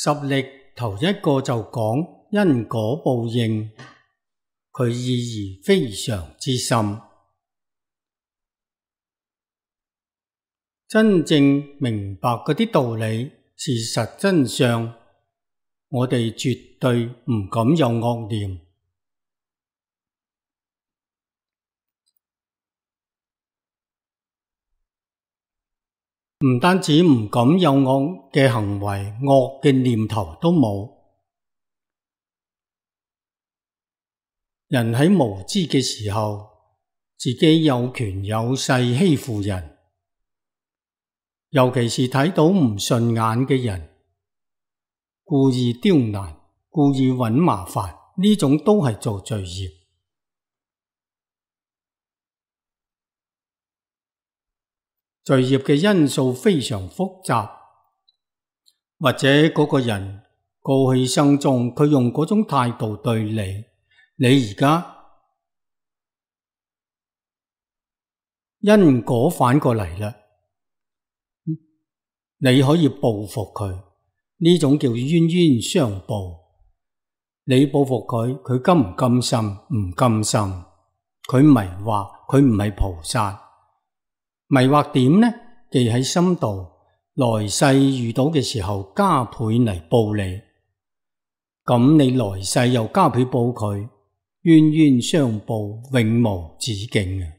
十力頭一個就講因果報應，佢意義非常之深。真正明白嗰啲道理、事實真相，我哋絕對唔敢有惡念。唔單止唔敢有惡嘅行為，惡嘅念頭都冇。人喺無知嘅時候，自己有權有勢欺負人，尤其是睇到唔順眼嘅人，故意刁難，故意搵麻煩，呢種都係做罪業。罪業嘅因素非常複雜，或者嗰個人過去生中佢用嗰種態度對你而家因果反過嚟啦，你可以報復佢，呢種叫冤冤相報。你報復佢，佢甘唔甘心？唔甘心。佢迷惑，佢唔係菩薩。迷惑點呢？記喺心度，來世遇到嘅時候加倍嚟報你，咁你來世又加倍報佢，冤冤相報，永無止境嘅。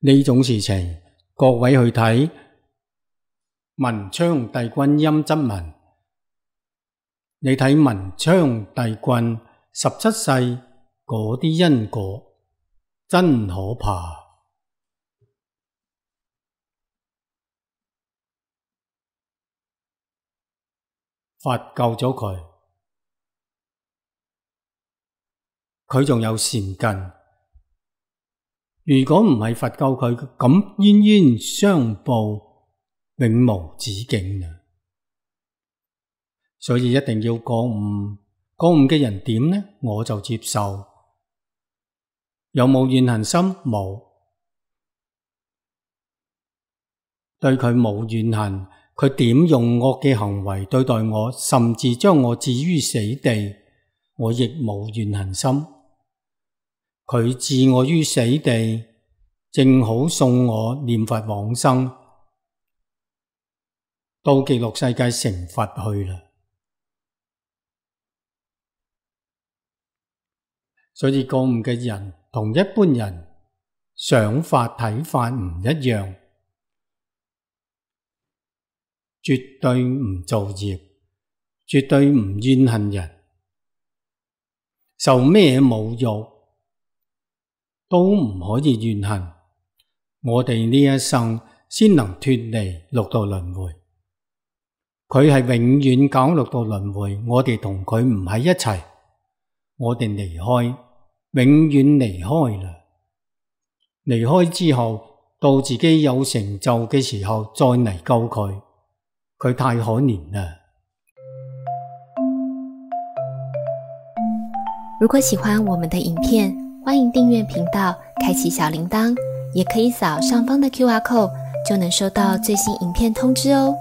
呢種事情，各位去睇文昌帝君陰質文，你睇文昌帝君17世嗰啲因果真可怕。佛救咗佢，佢仲有善根。如果唔係佛救佢，咁冤冤相報，永無止境嘅。所以一定要覺悟，覺悟嘅人點呢？我就接受。有冇怨恨心？冇，對佢冇怨恨。佢點用惡嘅行為對待我，甚至將我置於死地，我亦冇怨恨心。佢置我於死地，正好送我念佛往生，到極樂世界成佛去啦。所以覺悟嘅人同一般人想法睇法唔一樣。絕對唔造業，絕對唔怨恨人，受咩侮辱都唔可以怨恨。我哋呢一生先能脫離六道輪迴，佢係永遠搞六道輪迴，我哋同佢唔喺一齊，我哋離開，永遠離開啦。離開之後，到自己有成就嘅時候再嚟救佢。佢太可憐了。如果喜歡我們的影片，歡迎訂閱頻道，開啟小鈴鐺，也可以掃上方的QR code，就能收到最新影片通知哦。